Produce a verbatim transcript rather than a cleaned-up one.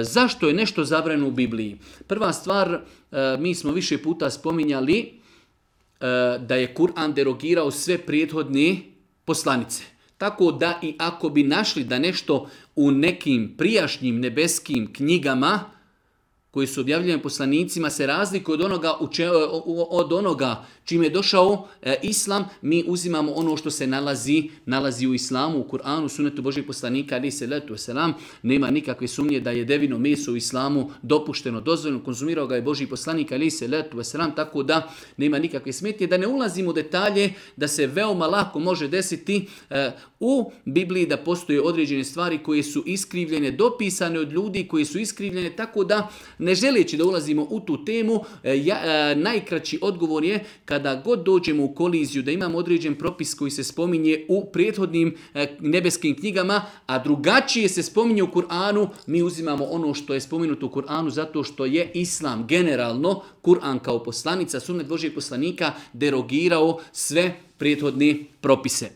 Zašto je nešto zabranjeno u Bibliji? Prva stvar, mi smo više puta spominjali da je Kur'an derogirao sve prethodne poslanice. Tako da i ako bi našli da nešto u nekim prijašnjim nebeskim knjigama koji su objavljeni poslanicima se razlikuje od onoga, od onoga čime je došao e, Islam, mi uzimamo ono što se nalazi, nalazi u Islamu, u Kur'anu, sunetu Božih poslanika, ali se letu selam, nema nikakve sumnje da je devino meso u Islamu dopušteno, dozvoljeno, konzumirao ga je Božji poslanik, ali se letu selam, tako da nema nikakve smetnje, da ne ulazimo u detalje, da se veoma lako može desiti e, u Bibliji da postoje određene stvari koje su iskrivljene, dopisane od ljudi koji su iskrivljene, tako da ne želeći da ulazimo u tu temu, e, ja, e, najkraći odgovor je kada god dođemo u koliziju da imamo određen propis koji se spominje u prethodnim e, nebeskim knjigama, a drugačije se spominje u Kur'anu, mi uzimamo ono što je spomenuto u Kur'anu zato što je Islam generalno, Kur'an kao poslanica, sunnet Božjeg poslanika derogirao sve prethodne propise.